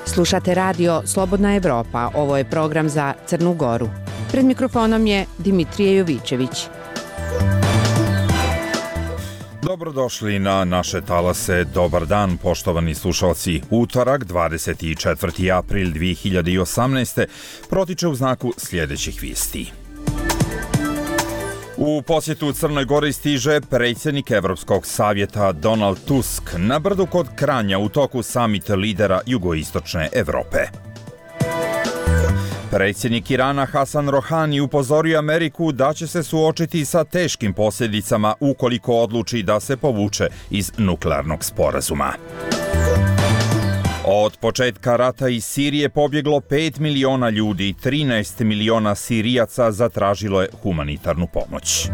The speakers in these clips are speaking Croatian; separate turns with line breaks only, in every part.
Slušate radio Slobodna Evropa, ovo je program za Crnu Goru. Pred mikrofonom je Dimitrije Jovićević.
Dobrodošli na naše talase. Dobar dan, poštovani slušalci. Utorak, 24. april 2018. protiče u znaku sljedećih vijesti. U posjetu Crnoj Gori stiže predsjednik Evropskog savjeta Donald Tusk na brdu kod Kranja u toku samita lidera jugoistočne Evrope. Predsjednik Irana Hasan Rohani upozorio Ameriku da će se suočiti sa teškim posljedicama ukoliko odluči da se povuče iz nuklearnog sporazuma. Od početka rata iz Sirije pobjeglo 5 miliona ljudi, 13 miliona Sirijaca zatražilo je humanitarnu pomoć.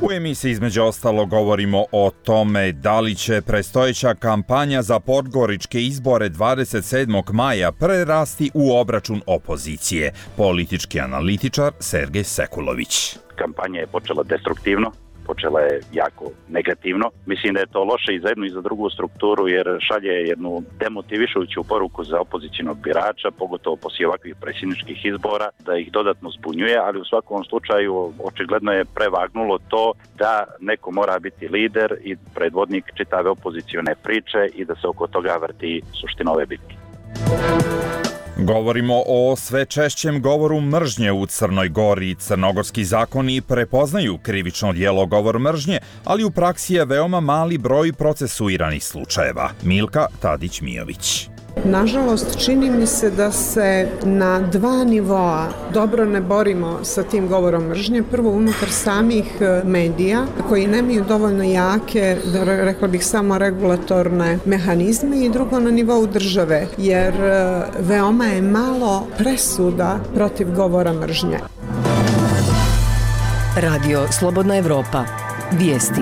U emisiji između ostalo govorimo o tome da li će predstojeća kampanja za podgoričke izbore 27. maja prerasti u obračun opozicije. Politički analitičar Sergej Sekulović.
Kampanja je počela destruktivno. Počela je jako negativno. Mislim da je to loše i za jednu i za drugu strukturu jer šalje jednu demotivišujuću poruku za opozicionog birača, pogotovo poslije ovakvih predsjedničkih izbora, da ih dodatno zbunjuje, ali u svakom slučaju očigledno je prevagnulo to da neko mora biti lider i predvodnik čitave opozicione priče i da se oko toga vrti suština ove bitke.
Govorimo o sve češćem govoru mržnje u Crnoj Gori. Crnogorski zakoni prepoznaju krivično djelo govor mržnje, ali u praksi je veoma mali broj procesuiranih slučajeva. Milka Tadić-Mijović.
Nažalost, čini mi se da se na dva nivoa dobro ne borimo sa tim govorom mržnje. Prvo, unutar samih medija, koji nemaju dovoljno jake, rekla bih samo regulatorne mehanizme, i drugo na nivou države, jer veoma je malo presuda protiv govora mržnje.
Radio Slobodna Evropa. Vijesti.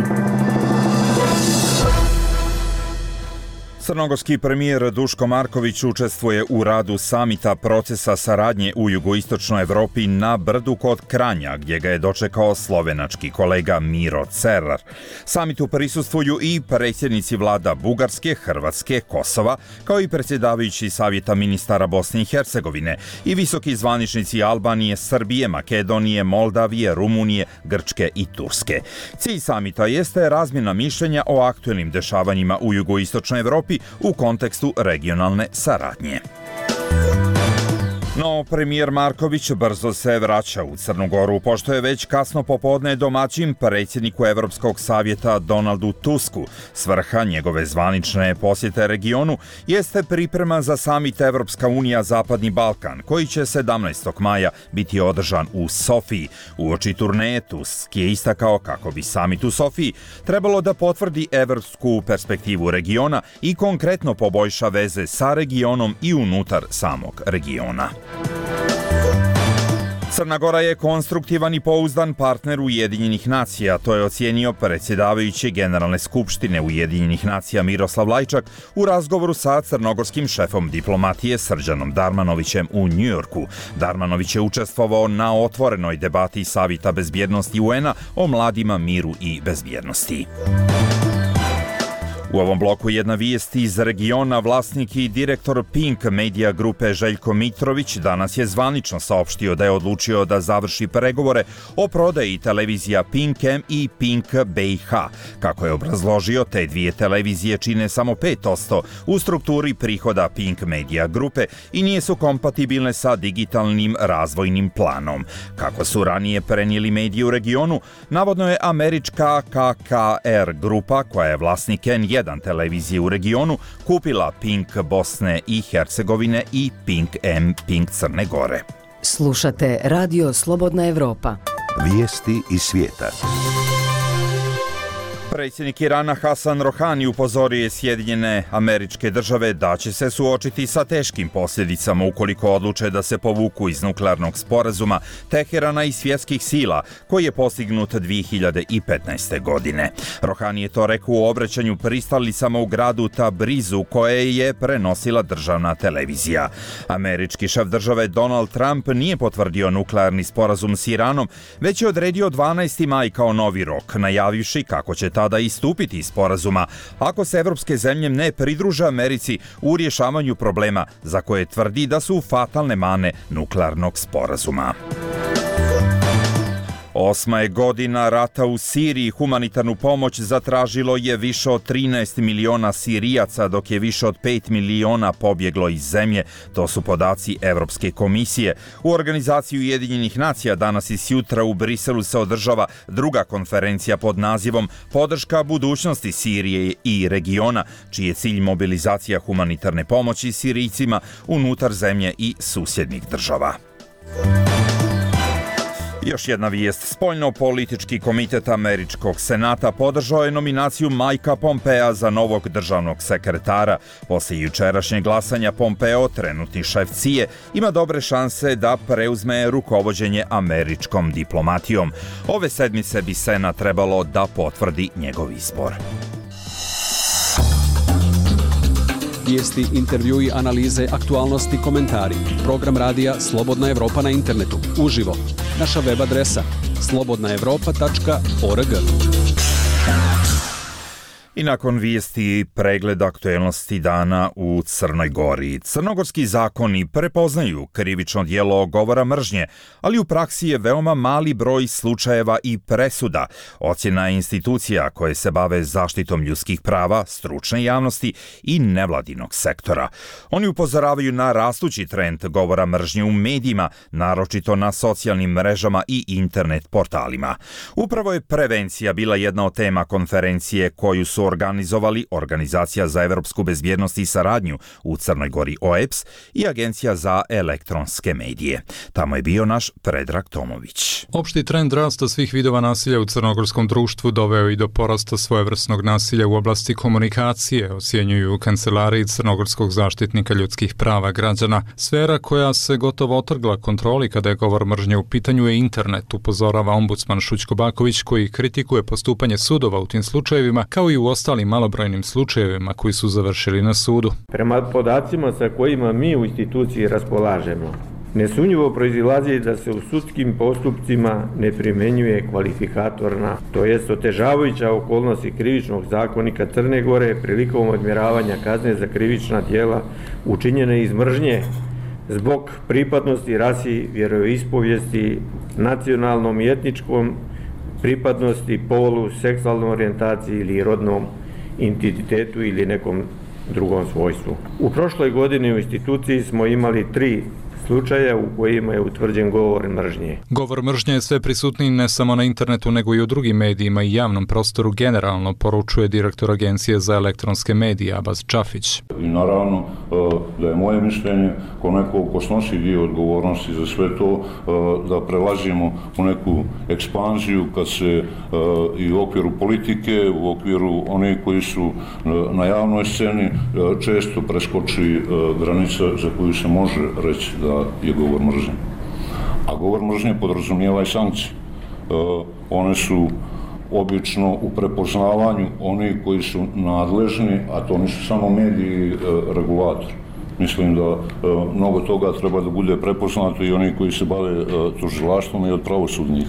Crnogorski premijer Duško Marković učestvuje u radu samita procesa saradnje u jugoistočnoj Evropi na brdu kod Kranja, gdje ga je dočekao slovenački kolega Miro Cerar. Samitu prisustvuju i predsjednici vlada Bugarske, Hrvatske, Kosova, kao i predsjedavajući savjeta ministara Bosne i Hercegovine i visoki zvaničnici Albanije, Srbije, Makedonije, Moldavije, Rumunije, Grčke i Turske. Cilj samita jeste razmjena mišljenja o aktuelnim dešavanjima u jugoistočnoj Evropi u kontekstu regionalne saradnje. No, premijer Marković brzo se vraća u Crnu Goru, pošto je već kasno popodne domaćin predsjedniku Evropskog savjeta Donaldu Tusku. Svrha njegove zvanične posjete regionu jeste priprema za samit Evropska unija Zapadni Balkan, koji će 17. maja biti održan u Sofiji. Uoči turneje Tusk je istakao kako bi samit u Sofiji trebalo da potvrdi evropsku perspektivu regiona i konkretno poboljša veze sa regionom i unutar samog regiona. Crna Gora je konstruktivan i pouzdan partner Ujedinjenih nacija, to je ocijenio predsjedavajući Generalne skupštine Ujedinjenih nacija Miroslav Lajčak u razgovoru sa crnogorskim šefom diplomatije Srđanom Darmanovićem u Njujorku. Darmanović je učestvovao na otvorenoj debati Savjeta bezbjednosti UN-a o mladima, miru i bezbjednosti. U ovom bloku jedna vijest iz regiona. Vlasnik i direktor Pink Media grupe Željko Mitrović danas je zvanično saopštio da je odlučio da završi pregovore o prodaji televizija Pink M i Pink BiH. Kako je obrazložio, te dvije televizije čine samo 5% u strukturi prihoda Pink Media grupe i nije su kompatibilne sa digitalnim razvojnim planom. Kako su ranije prenijeli mediji u regionu, navodno je američka KKR grupa, koja je vlasnik N1 televizije u regionu, kupila Pink Bosne i Hercegovine i Pink M Pink Crne Gore.
Slušate Radio Slobodna Evropa.
Vijesti iz svijeta.
Predsjednik Irana Hasan Rohani upozorio je Sjedinjene Američke Države da će se suočiti sa teškim posljedicama ukoliko odluče da se povuku iz nuklearnog sporazuma Teherana i svjetskih sila koji je postignut 2015. godine. Rohani je to rekao u obraćanju pristalicama u gradu Tabrizu koje je prenosila državna televizija. Američki šef države Donald Trump nije potvrdio nuklearni sporazum s Iranom, već je odredio 12. maj kao novi rok, najavivši kako će tada istupiti iz sporazuma ako se evropske zemlje ne pridruže Americi u rješavanju problema za koje tvrdi da su fatalne mane nuklearnog sporazuma. 8. je godina rata u Siriji. Humanitarnu pomoć zatražilo je više od 13 miliona Sirijaca, dok je više od 5 miliona pobjeglo iz zemlje. To su podaci Evropske komisije. U organizaciji Ujedinjenih nacija danas i sjutra u Briselu se održava druga konferencija pod nazivom Podrška budućnosti Sirije i regiona, čiji je cilj mobilizacija humanitarne pomoći Sirijcima unutar zemlje i susjednih država. Još jedna vijest. Spoljno-politički komitet Američkog senata podržao je nominaciju Mikea Pompea za novog državnog sekretara. Poslije jučerašnjeg glasanja Pompeo, trenutni šef CIA, ima dobre šanse da preuzme rukovođenje američkom diplomatijom. Ove sedmice bi Senat trebalo da potvrdi njegov izbor.
Vijesti, intervjui, analize, aktualnosti, komentari. Program radija Slobodna Evropa na internetu. Uživo. Naša web adresa slobodnaevropa.org.
I nakon vijesti pregled aktuelnosti dana u Crnoj Gori. Crnogorski zakoni prepoznaju krivično djelo govora mržnje, ali u praksi je veoma mali broj slučajeva i presuda. Ocjena institucija koje se bave zaštitom ljudskih prava, stručne javnosti i nevladinog sektora. Oni upozoravaju na rastući trend govora mržnje u medijima, naročito na socijalnim mrežama i internet portalima. Upravo je prevencija bila jedna od tema konferencije koju su organizovali Organizacija za evropsku bezbjednost i saradnju u Crnoj Gori OEBS i Agencija za elektronske medije. Tamo je bio naš Predrag Tomović.
Opšti trend rasta svih vidova nasilja u crnogorskom društvu doveo i do porasta svojevrsnog nasilja u oblasti komunikacije, ocjenjuju u kancelariji Crnogorskog zaštitnika ljudskih prava građana. Sfera koja se gotovo otrgla kontroli kada je govor mržnje u pitanju je internet, upozorava ombudsman Šućko Baković, koji kritikuje postupanje sudova u tim slučajevima, kao i u ostalim malobrojnim slučajevima koji su završili na sudu.
Prema podacima sa kojima mi u instituciji raspolažemo, nesumnjivo proizilazi da se u sudskim postupcima ne primjenjuje kvalifikatorna, to jest otežavajuća okolnosti krivičnog zakonika Crne Gore prilikom odmjeravanja kazne za krivična djela učinjene iz mržnje zbog pripadnosti rasi, vjeroispovijesti, nacionalnom i etničkom pripadnosti, polu, seksualnoj orijentaciji ili rodnom identitetu ili nekom drugom svojstvu. U prošloj godini u instituciji smo imali 3 slučaja u kojima je utvrđen govor mržnje.
Govor mržnje je sve prisutniji ne samo na internetu nego i u drugim medijima i javnom prostoru generalno, poručuje direktor Agencije za elektronske medije Abaz Čafić.
I naravno da je moje mišljenje ko neko ko snosi dio odgovornosti za sve to, da prelazimo u neku ekspanziju kad se i u okviru politike, u okviru onih koji su na javnoj sceni često preskoči granica za koju se može reći da je govor mržnje. A govor mržnje podrazumijeva i sankcije. One su obično u prepoznavanju onih koji su nadležni, a to nisu samo mediji i regulatori. Mislim da mnogo toga treba da bude prepoznato i oni koji se bave tužilaštvom i od pravosudnih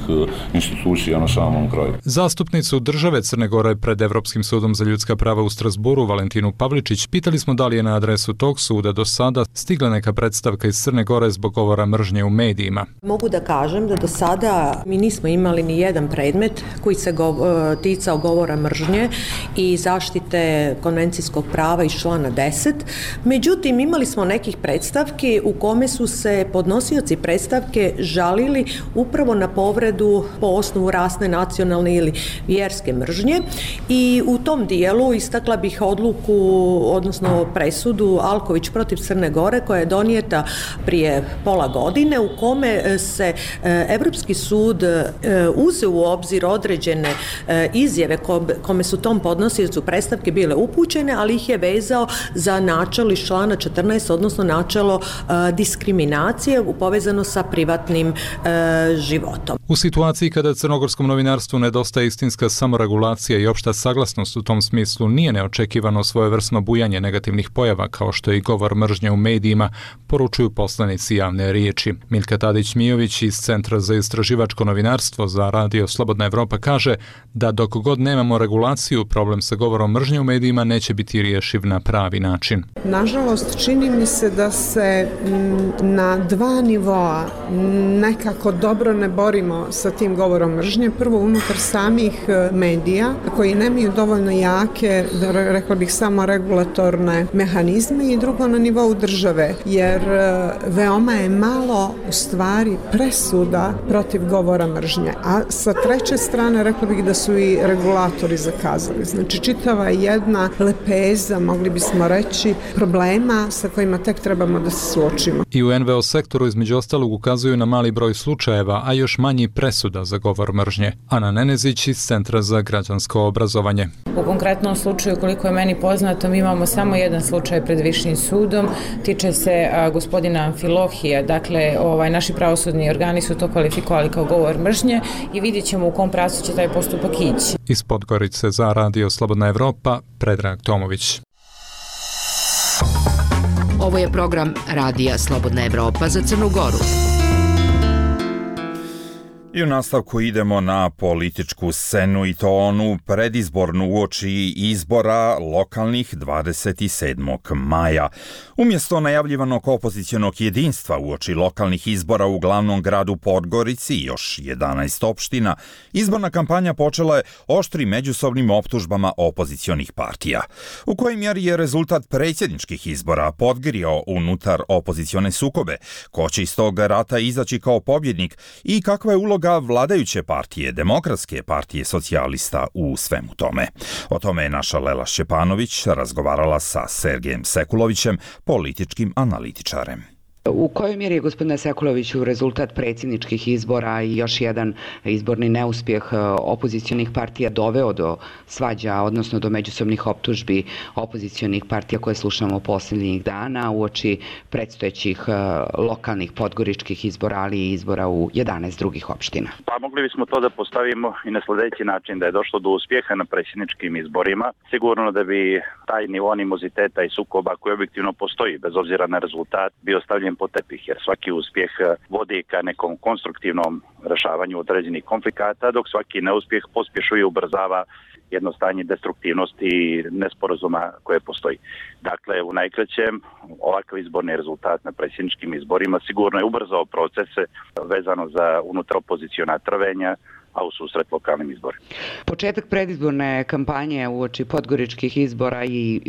institucija na samom kraju.
Zastupnicu države Crne Gore pred Evropskim sudom za ljudska prava u Strasburu, Valentinu Pavličić, pitali smo da li je na adresu tog suda do sada stigla neka predstavka iz Crne Gore zbog govora mržnje u medijima.
Mogu da kažem da do sada mi nismo imali ni jedan predmet koji se ticao govora mržnje i zaštite konvencijskog prava iz člana 10. Međutim, imali imali smo nekih predstavki u kome su se podnosioci predstavke žalili upravo na povredu po osnovu rasne, nacionalne ili vjerske mržnje i u tom dijelu istakla bih odluku, odnosno presudu Alković protiv Crne Gore koja je donijeta prije pola godine u kome se Evropski sud uzeo u obzir određene izjave kome su tom podnosiocu predstavke bile upućene, ali ih je vezao za načelo iz člana 14, odnosno načelo diskriminacije povezano sa privatnim životom.
U situaciji kada crnogorskom novinarstvu nedostaje istinska samoregulacija i opšta saglasnost u tom smislu, nije neočekivano svojevrsno bujanje negativnih pojava kao što je i govor mržnje u medijima, poručuju poslanici Javne riječi. Miljka Tadić-Mijović iz Centra za istraživačko novinarstvo za Radio Slobodna Evropa kaže da dok god nemamo regulaciju, problem sa govorom mržnje u medijima neće biti rješiv na pravi način.
Nažalost, čini mi se da se na dva nivoa nekako dobro ne borimo sa tim govorom mržnje. Prvo, unutar samih medija koji nemaju dovoljno jake, rekla bih, samo regulatorne mehanizme, i drugo na nivou države, jer veoma je malo u stvari presuda protiv govora mržnje. A sa treće strane rekla bih da su i regulatori zakazali. Znači čitava jedna lepeza, mogli bismo reći, problema sa kojima tek trebamo da se suočimo.
I u NVO sektoru između ostalog ukazuju na mali broj slučajeva, a još manji presuda za govor mržnje. Ana Nenezić iz Centra za građansko obrazovanje.
U konkretnom slučaju, koliko je meni poznato, mi imamo samo jedan slučaj pred Višim sudom, tiče se gospodina Amfilohija. Dakle, naši pravosudni organi su to kvalifikovali kao govor mržnje i vidjet ćemo u kom pravcu će taj postupak ići.
Iz Podgorice za Radio Slobodna Evropa, Predrag Tomović.
Ovo je program Radija Slobodna Evropa za Crnu Goru.
I u nastavku idemo na političku scenu, i to onu predizbornu uoči izbora lokalnih 27. maja. Umjesto najavljivanog opozicionog jedinstva uoči lokalnih izbora u glavnom gradu Podgorici i još 11 opština, izborna kampanja počela je oštrim međusobnim optužbama opozicionih partija. U kojoj mjeri je rezultat predsjedničkih izbora podgrio unutar opozicione sukobe? Ko će iz tog rata izaći kao pobjednik i kakva je uloga vladajuće partije, Demokratske partije socijalista u svemu tome? O tome je naša Lela Šćepanović razgovarala sa Sergejem Sekulovićem, političkim analitičarem.
U kojoj mjeri je, gospodine Sekuloviću, rezultat predsjedničkih izbora i još jedan izborni neuspjeh opozicionih partija doveo do svađa, odnosno do međusobnih optužbi opozicionih partija koje slušamo posljednjih dana uoči predstojećih lokalnih podgoričkih izbora, ali i izbora u 11 drugih opština?
Pa mogli bismo to da postavimo i na sljedeći način, da je došlo do uspjeha na predsjedničkim izborima. Sigurno da bi taj nivo animoziteta i sukoba koji objektivno postoji, bez obzira na rezultat, bio stavljen po tepih, jer svaki uspjeh vodi ka nekom konstruktivnom rješavanju određenih konflikata, dok svaki neuspjeh pospješuje i ubrzava jedno stanje destruktivnosti i nesporazuma koje postoji. Dakle, u najkraćem, ovakav izborni rezultat na predsjedničkim izborima sigurno je ubrzao procese vezano za unutaropoziciona trvenja, a u susret lokalnim izborima.
Početak predizborne kampanje uoči podgoričkih izbora, i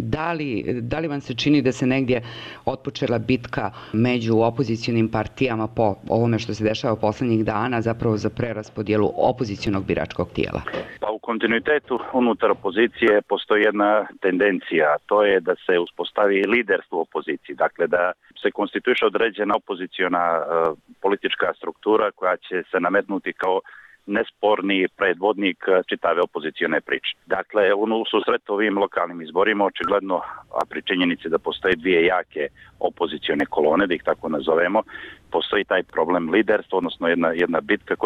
da li vam se čini da se negdje otpočela bitka među opozicionim partijama po ovome što se dešava posljednjih dana, zapravo za preraspodjelu opozicionog biračkog tijela?
Pa u kontinuitetu unutar opozicije postoji jedna tendencija, to je da se uspostavi liderstvo u opoziciji, dakle da se konstituiše određena opoziciona politička struktura koja će se nametnuti kao nesporni predvodnik čitave opozicione priče. Dakle, u susret ovim lokalnim izborima očigledno, a pri činjenici da postoje dvije jake opozicione kolone, da ih tako nazovemo, postoji taj problem liderstva, odnosno jedna bitka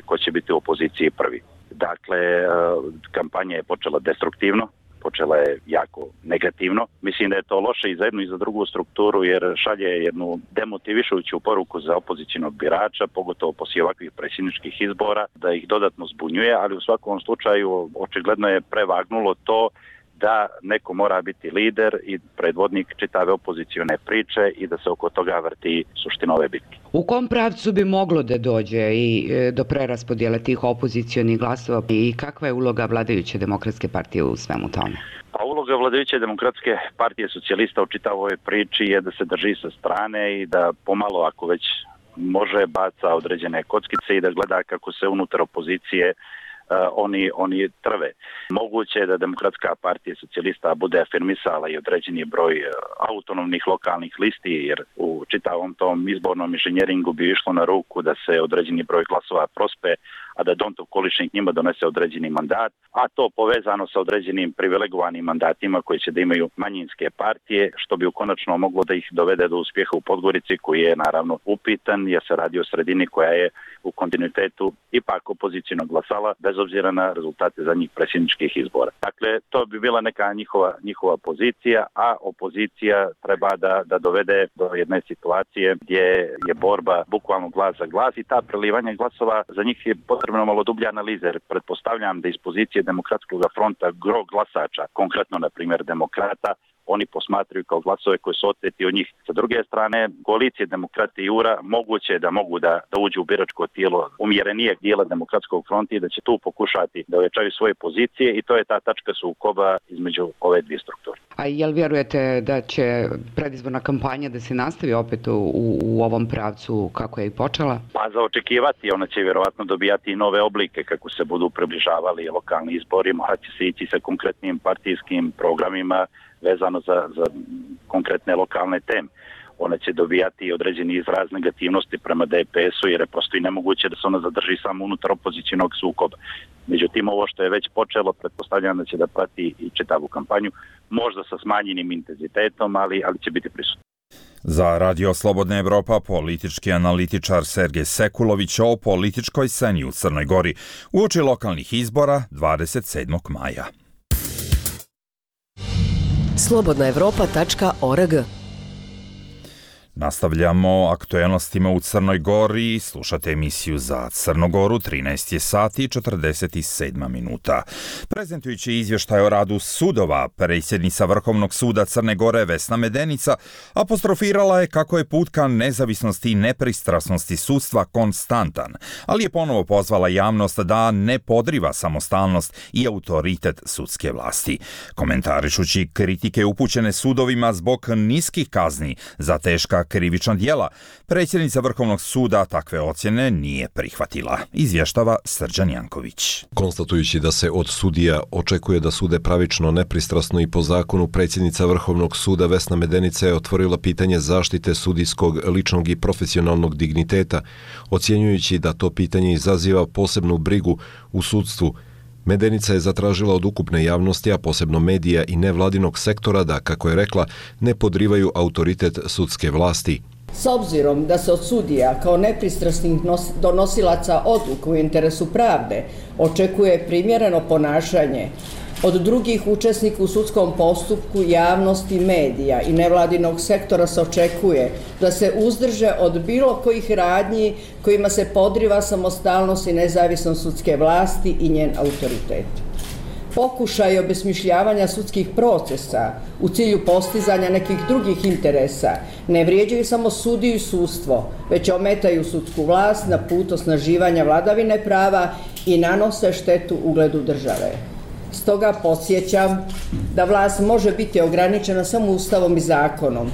ko će biti u opoziciji prvi. Dakle, kampanja je počela destruktivno, počela je jako negativno. Mislim da je to loše i za jednu i za drugu strukturu, jer šalje jednu demotivišujuću poruku za opozicijonog birača, pogotovo poslije ovakvih predsjedničkih izbora, da ih dodatno zbunjuje, ali u svakom slučaju očigledno je prevagnulo to da neko mora biti lider i predvodnik čitave opozicione priče i da se oko toga vrti suština ove bitke.
U kom pravcu bi moglo da dođe i do preraspodjele tih opozicionih glasova i kakva je uloga vladajuće Demokratske partije u svemu tome?
A uloga vladajuće demokratske partije socijalista u čitavoj ovoj priči je da se drži sa strane i da pomalo, ako već može, baca određene kockice i da gleda kako se unutar opozicije oni trve. Moguće je da Demokratska partija socijalista bude afirmisala i određeni broj autonomnih lokalnih listi, jer u čitavom tom izbornom inženjeringu bi išlo na ruku da se određeni broj glasova prospe, a da Dontov količnik njima donese određeni mandat, a to povezano sa određenim privilegovanim mandatima koji će da imaju manjinske partije, što bi konačno moglo da ih dovede do uspjeha u Podgorici, koji je naravno upitan, jer se radi o sredini koja je u kontinuitetu ipak opozicijno glasala, bez obzira na rezultate zadnjih predsjedničkih izbora. Dakle, to bi bila neka njihova pozicija, a opozicija treba da dovede do jedne situacije gdje je borba bukvalno glas za glas i ta prelivanja glasova za njih je potrebno malo dublja analiza, jer pretpostavljam da iz pozicije Demokratskog fronta gro glasača, konkretno na primjer demokrata, oni posmatraju kao glasove koji su oteti od njih. Sa druge strane, koalicije Demokrati i URA moguće da mogu da uđu u biračko tijelo umjerenijeg dijela Demokratskog fronta i da će tu pokušati da ojačaju svoje pozicije i to je ta tačka sukoba između ove dvije strukture.
A jel vjerujete da će predizborna kampanja da se nastavi opet u ovom pravcu kako je i počela?
Pa za očekivati, ona će vjerovatno dobijati i nove oblike kako se budu približavali lokalni izbori, morat će se ići sa konkretnim partijskim programima vezano za konkretne lokalne teme. Ona će dobijati određeni izraz negativnosti prema DPS-u jer je prosto i nemoguće da se ona zadrži samo unutar opozicijnog sukoba. Međutim, ovo što je već počelo, pretpostavljam da će da prati i čitavu kampanju, možda sa smanjenim intenzitetom, ali će biti prisutno.
Za Radio Slobodna Evropa politički analitičar Sergej Sekulović o političkoj sceni u Crnoj Gori uoči lokalnih izbora 27. maja.
slobodnaevropa.org.
Nastavljamo aktuelnostima u Crnoj Gori. Slušate emisiju za Crnogoru, 13 je sati i 47 minuta. Prezentujući izvještaj o radu sudova, predsjednica Vrhovnog suda Crne Gore Vesna Medenica apostrofirala je kako je put ka nezavisnosti i nepristrasnosti sudstva konstantan, ali je ponovo pozvala javnost da ne podriva samostalnost i autoritet sudske vlasti. Komentarišući kritike upućene sudovima zbog niskih kazni za teška krivična djela, predsjednica Vrhovnog suda takve ocjene nije prihvatila, izvještava Srđan Janković.
Konstatujući da se od sudija očekuje da sude pravično, nepristrasno i po zakonu, predsjednica Vrhovnog suda Vesna Medenica je otvorila pitanje zaštite sudijskog ličnog i profesionalnog digniteta, ocjenjujući da to pitanje izaziva posebnu brigu u sudstvu. Medenica je zatražila od ukupne javnosti, a posebno medija i nevladinog sektora da, kako je rekla, ne podrivaju autoritet sudske vlasti.
S obzirom da se od sudija kao nepristrasnih donosilaca odluka u interesu pravde očekuje primjereno ponašanje, od drugih učesnika u sudskom postupku, javnosti, medija i nevladinog sektora se očekuje da se uzdrže od bilo kojih radnji kojima se podriva samostalnost i nezavisnost sudske vlasti i njen autoritet. Pokušaj obesmišljavanja sudskih procesa u cilju postizanja nekih drugih interesa ne vrijeđaju samo sudiju i sudstvo, već ometaju sudsku vlast na put osnaživanja vladavine prava i nanose štetu ugledu države. Stoga podsjećam da vlast može biti ograničena samo ustavom i zakonom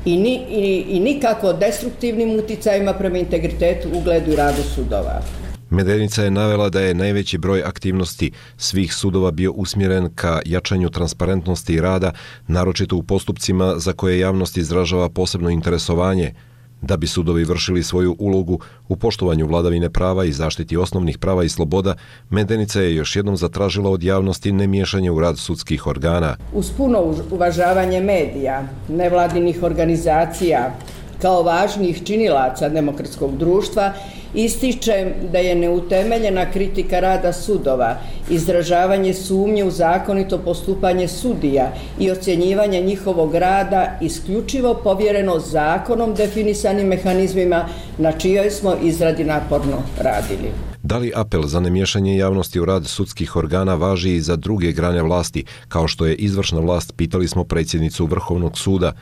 i nikako destruktivnim uticajima prema integritetu, ugledu i radu sudova.
Medenica je navela da je najveći broj aktivnosti svih sudova bio usmjeren ka jačanju transparentnosti rada, naročito u postupcima za koje javnost izražava posebno interesovanje. Da bi sudovi vršili svoju ulogu u poštovanju vladavine prava i zaštiti osnovnih prava i sloboda, Medenica je još jednom zatražila od javnosti nemiješanje u rad sudskih organa.
Uz puno uvažavanje medija, nevladinih organizacija, kao važnih činilaca demokratskog društva, ističem da je neutemeljena kritika rada sudova, izražavanje sumnje u zakonito postupanje sudija i ocjenjivanje njihovog rada isključivo povjereno zakonom definisanim mehanizmima na čijoj smo izradi naporno radili.
Da li apel za nemiješanje javnosti u rad sudskih organa važi i za druge grane vlasti, kao što je izvršna vlast, pitali smo predsjednicu Vrhovnog suda.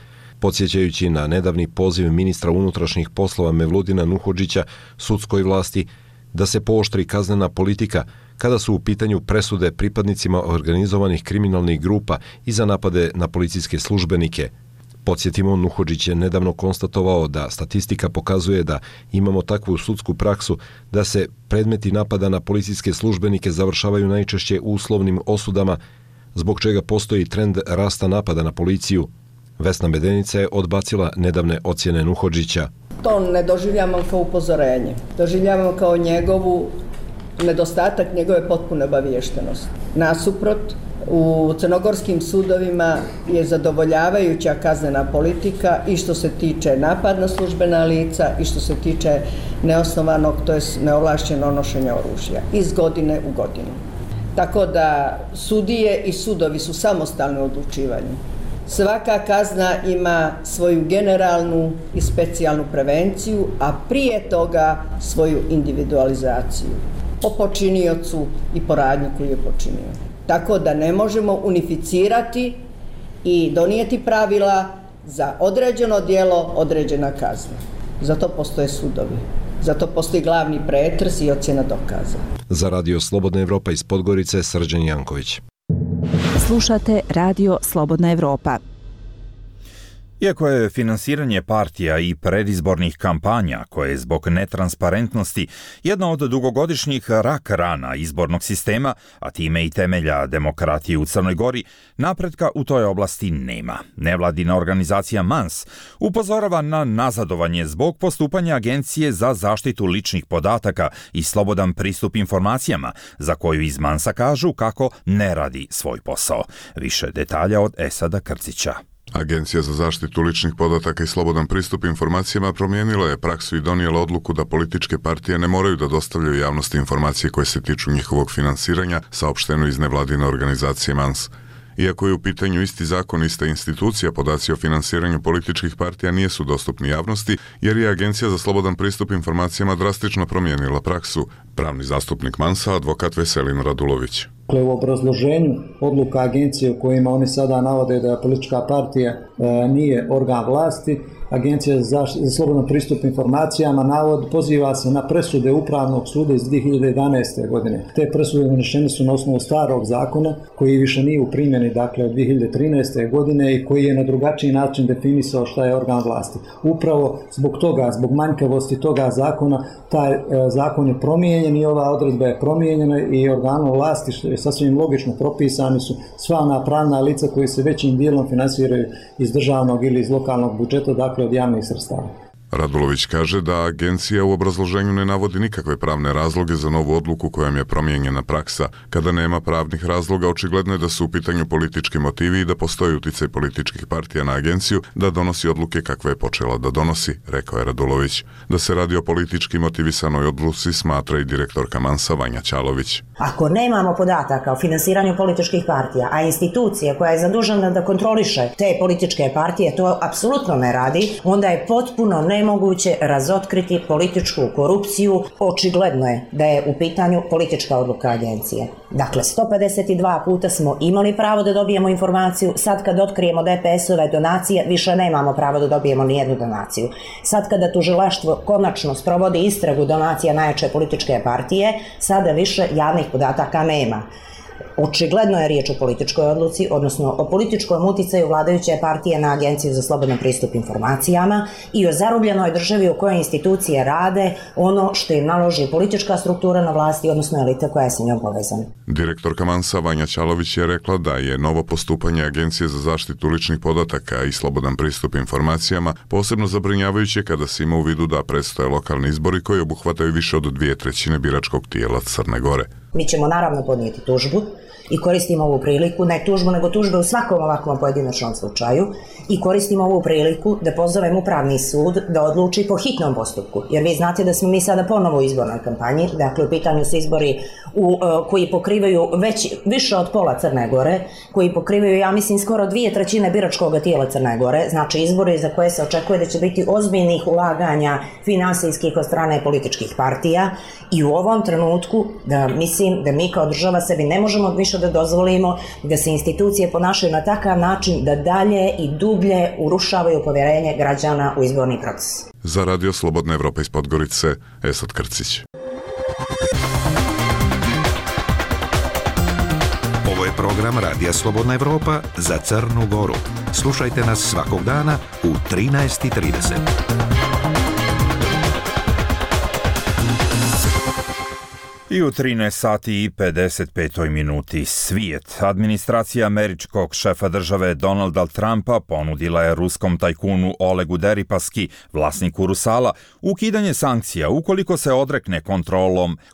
Podsjećajući na nedavni poziv ministra unutrašnjih poslova Mevludina Nuhodžića sudskoj vlasti da se pooštri kaznena politika kada su u pitanju presude pripadnicima organizovanih kriminalnih grupa i za napade na policijske službenike. Podsjetimo, Nuhodžić je nedavno konstatovao da statistika pokazuje da imamo takvu sudsku praksu da se predmeti napada na policijske službenike završavaju najčešće uslovnim osudama, zbog čega postoji trend rasta napada na policiju. Vesna Medenica je odbacila nedavne ocjene Nuhodžića.
To ne doživljavamo kao upozorenje. Doživljavamo kao nedostatak njegove potpune obaviještenosti. Nasuprot, u crnogorskim sudovima je zadovoljavajuća kaznena politika i što se tiče napad na službena lica i što se tiče neosnovanog, to je neovlašćeno nošenja oružja, iz godine u godinu. Tako da sudije i sudovi su samostalni u odlučivanju. Svaka kazna ima svoju generalnu i specijalnu prevenciju, a prije toga svoju individualizaciju po počiniocu i po radnji koju je počinio. Tako da ne možemo unificirati i donijeti pravila za određeno djelo, određena kazna. Zato postoje sudovi. Zato postoji glavni pretres i ocjena dokaza.
Za Radio Slobodna Evropa iz Podgorice, Srđan Janković.
Slušate Radio Slobodna Evropa.
Iako je finansiranje partija i predizbornih kampanja, koje je zbog netransparentnosti jedna od dugogodišnjih rak rana izbornog sistema, a time i temelja demokratije u Crnoj Gori, napretka u toj oblasti nema. Nevladina organizacija MANS upozorava na nazadovanje zbog postupanja Agencije za zaštitu ličnih podataka i slobodan pristup informacijama, za koju iz MANS-a kažu kako ne radi svoj posao. Više detalja od Esada Krcića.
Agencija za zaštitu ličnih podataka i slobodan pristup informacijama promijenila je praksu i donijela odluku da političke partije ne moraju da dostavljaju javnosti informacije koje se tiču njihovog finansiranja, saopšteno iz nevladine organizacije MANS. Iako je u pitanju isti zakon, ista institucija, podaci o finansiranju političkih partija nisu dostupni javnosti, jer je Agencija za slobodan pristup informacijama drastično promijenila praksu. Pravni zastupnik MANS-a, advokat Veselin Radulović.
U obrazloženju odluka agencije u kojima oni sada navode da politička partija nije organ vlasti, Agencija za slobodan pristup informacijama poziva se na presude Upravnog suda iz 2011. godine. Te presude donešene su na osnovu starog zakona koji više nije u primjeni, dakle od 2013. godine i koji je na drugačiji način definisao šta je organ vlasti. Upravo zbog toga, zbog manjkavosti toga zakona, taj zakon je promijenjen i ova odredba je promijenjena i organom vlasti, što je sasvim logično, propisani su sva ona pravna lica koji se većim dijelom finansiraju iz državnog ili iz lokalnog budžeta, dakle od javnih sredstava.
Radulović kaže da agencija u obrazloženju ne navodi nikakve pravne razloge za novu odluku kojom je promijenjena praksa. Kada nema pravnih razloga, očigledno je da su u pitanju politički motivi i da postoji uticaj političkih partija na agenciju da donosi odluke kakve je počela da donosi, rekao je Radulović. Da se radi o politički motivisanoj odluci smatra i direktorka MANS-a Vanja Ćalović.
Ako nemamo podataka o finansiranju političkih partija, a institucija koja je zadužena da kontroliše te političke partije to apsolutno ne radi, onda je potpuno nemoguće razotkriti političku korupciju. Očigledno je da je u pitanju politička odluka agencije. Dakle, 152 puta smo imali pravo da dobijemo informaciju, sad kad otkrijemo DPS-ove donacije, više nemamo pravo da dobijemo nijednu donaciju. Sad kada tužilaštvo konačno sprovodi istragu donacija najjače političke partije, sada više javnih podataka nema. Očigledno je riječ o političkoj odluci, odnosno o političkom uticaju vladajuće partije na Agenciju za slobodan pristup informacijama i o zarobljenoj državi u kojoj institucije rade ono što im naloži politička struktura na vlasti, odnosno elita koja je sa njom povezana.
Direktorka MANS-a Vanja Ćalović je rekla da je novo postupanje Agencije za zaštitu ličnih podataka i slobodan pristup informacijama posebno zabrinjavajuće kada se ima u vidu da predstoje lokalni izbori koji obuhvataju više od 2/3 biračkog tijela Crne Gore.
Mi ćemo naravno podnijeti tužbu i koristimo ovu priliku, ne tužbu, nego tužbe u svakom ovakvom pojedinačnom slučaju i koristimo ovu priliku da pozovem Upravni sud da odluči po hitnom postupku. Jer vi znate da smo mi sada ponovo u izbornoj kampanji, dakle u pitanju su izbori koji pokrivaju više od pola Crne Gore, koji pokrivaju, ja mislim, skoro 2/3 biračkog tijela Crne Gore, znači izbori za koje se očekuje da će biti ozbiljnih ulaganja finansijskih od strane političkih partija i u ovom trenutku da mislim da mi kao država sebi ne možemo više da dozvolimo da se institucije ponašaju na takav način da dalje i dublje urušavaju povjerenje građana u izborni proces.
Za Radio Slobodna Evropa iz Podgorice, Esad Krcić.
program Radija Slobodna Evropa za Crnu Goru. Slušajte nas svakog dana u 13:30.
I u 13 sati i 55 minuti svijet. Administracija američkog šefa države Donalda Trumpa ponudila je ruskom tajkunu Olegu Deripaski, vlasniku Rusala, ukidanje sankcija ukoliko se odrekne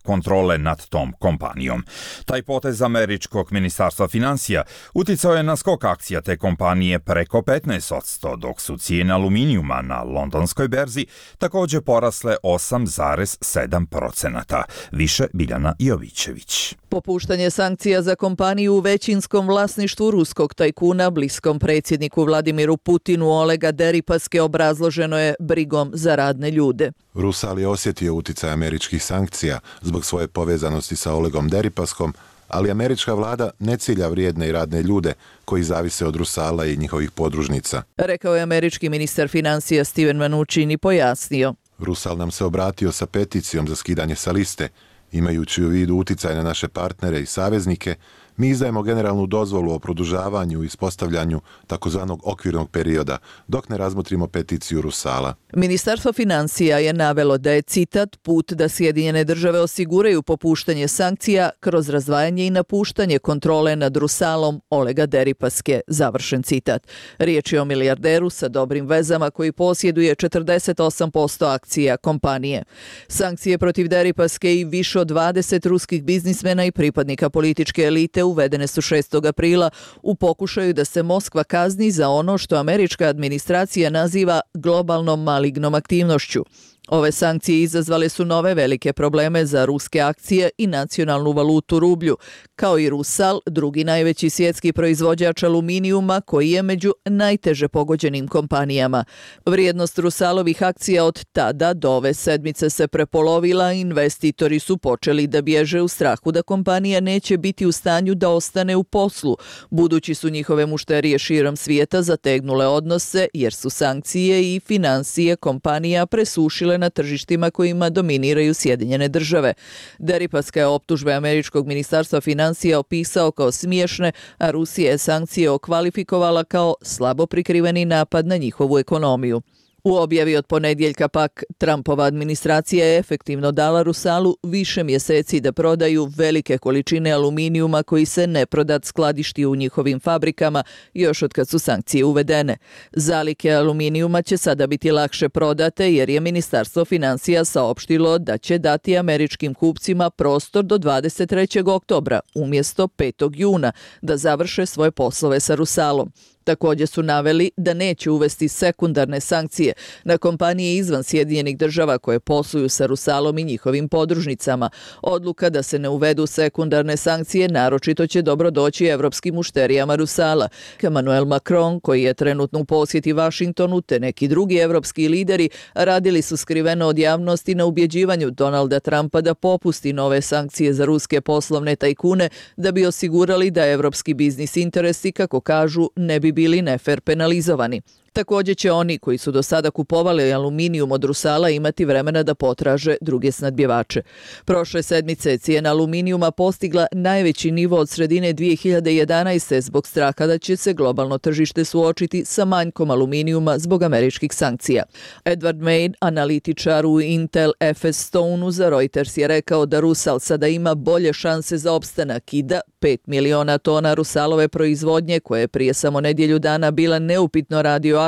kontrole nad tom kompanijom. Taj potez američkog ministarstva financija uticao je na skok akcija te kompanije preko 15%, dok su cijene aluminijuma na londonskoj berzi također porasle 8,7%. Više Biljana Jovićević.
Popuštanje sankcija za kompaniju u većinskom vlasništvu ruskog tajkuna bliskom predsjedniku Vladimiru Putinu Olega Deripaske obrazloženo je brigom za radne ljude.
Rusal je osjetio uticaj američkih sankcija zbog svoje povezanosti sa Olegom Deripaskom, ali američka vlada ne cilja vrijedne i radne ljude koji zavise od Rusala i njihovih podružnica.
Rekao je američki ministar financija Steven Mnuchin i pojasnio.
Rusal nam se obratio sa peticijom za skidanje sa liste. Imajući u vidu uticaj na naše partnere i saveznike, mi izdajemo generalnu dozvolu o produžavanju i ispostavljanju takozvanog okvirnog perioda, dok ne razmotrimo peticiju Rusala.
Ministarstvo financija je navelo da je, citat, put da Sjedinjene države osiguraju popuštanje sankcija kroz razdvajanje i napuštanje kontrole nad Rusalom Olega Deripaske, završen citat. Riječ je o milijarderu sa dobrim vezama koji posjeduje 48% akcija kompanije. Sankcije protiv Deripaske i više od 20 ruskih biznismena i pripadnika političke elite uvedene su 6. aprila u pokušaju da se Moskva kazni za ono što američka administracija naziva globalnom malignom aktivnošću. Ove sankcije izazvale su nove velike probleme za ruske akcije i nacionalnu valutu rublju, kao i Rusal, drugi najveći svjetski proizvođač aluminijuma koji je među najteže pogođenim kompanijama. Vrijednost Rusalovih akcija od tada do ove sedmice se prepolovila, investitori su počeli da bježe u strahu da kompanija neće biti u stanju da ostane u poslu, budući su njihove mušterije širom svijeta zategnule odnose jer su sankcije i financije kompanija presušile na tržištima kojima dominiraju Sjedinjene države. Deripaska je optužbe američkog ministarstva financija opisao kao smiješne, a Rusija je sankcije okvalifikovala kao slabo prikriveni napad na njihovu ekonomiju. U objavi od ponedjeljka pak Trumpova administracija je efektivno dala Rusalu više mjeseci da prodaju velike količine aluminijuma koji se neprodat skladišti u njihovim fabrikama još od kad su sankcije uvedene. Zalihe aluminijuma će sada biti lakše prodate jer je Ministarstvo financija saopštilo da će dati američkim kupcima prostor do 23. oktobra umjesto 5. juna da završe svoje poslove sa Rusalom. Također su naveli da neće uvesti sekundarne sankcije na kompanije izvan Sjedinjenih država koje posluju sa Rusalom i njihovim podružnicama. Odluka da se ne uvedu sekundarne sankcije naročito će dobro doći evropskim mušterijama Rusala. Emmanuel Macron, koji je trenutno u posjeti Vašingtonu, te neki drugi evropski lideri radili su skriveno od javnosti na ubjeđivanju Donalda Trumpa da popusti nove sankcije za ruske poslovne tajkune da bi osigurali da evropski biznis interesi, kako kažu, ne bi bili nefer penalizovani. Također će oni koji su do sada kupovali aluminijum od Rusala imati vremena da potraže druge snadbjevače. Prošle sedmice cijena aluminijuma postigla najveći nivo od sredine 2011. zbog straha da će se globalno tržište suočiti sa manjkom aluminijuma zbog američkih sankcija. Edward Main, analitičar u Intel FS Stoneu za Reuters, je rekao da Rusal sada ima bolje šanse za opstanak i da 5 miliona tona Rusalove proizvodnje, koje je prije samo nedjelju dana bila neupitno radioaktivna,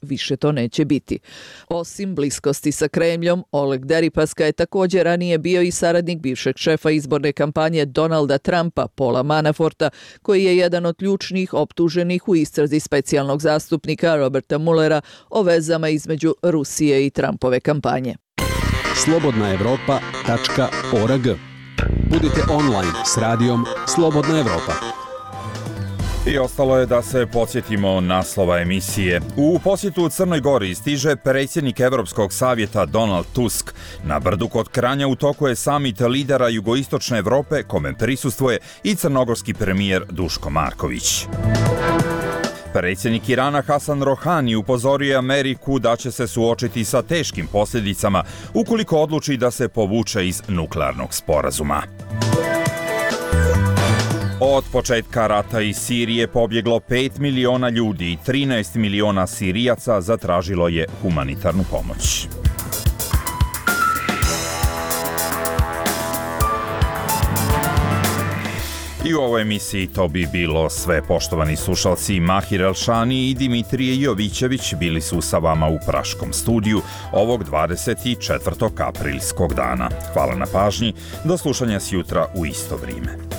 više to neće biti. Osim bliskosti sa Kremljom, Oleg Deripaska je također ranije bio i saradnik bivšeg šefa izborne kampanje Donalda Trumpa, Paula Manaforta, koji je jedan od ključnih optuženih u istrazi specijalnog zastupnika Roberta Muellera o vezama između Rusije i Trumpove kampanje.
slobodnaevropa.org. Budite online s radijom Slobodna Evropa.
I ostalo je da se podsjetimo naslova emisije. U posjetu u Crnoj Gori stiže predsjednik Evropskog savjeta Donald Tusk. Na brdu kod Kranja u toku je samit lidera jugoistočne Evrope, kome prisustvuje i crnogorski premijer Duško Marković. Predsjednik Irana Hasan Rohani upozorio je Ameriku da će se suočiti sa teškim posljedicama ukoliko odluči da se povuče iz nuklearnog sporazuma. Od Od početka rata iz Sirije pobjeglo 5 miliona ljudi i 13 miliona Sirijaca zatražilo je humanitarnu pomoć. I u ovoj emisiji to bi bilo sve. Poštovani slušalci, Mahir Elšani i Dimitrije Jovićević bili su sa vama u Praškom studiju ovog 24. aprilskog dana. Hvala na pažnji, do slušanja sjutra u isto vrijeme.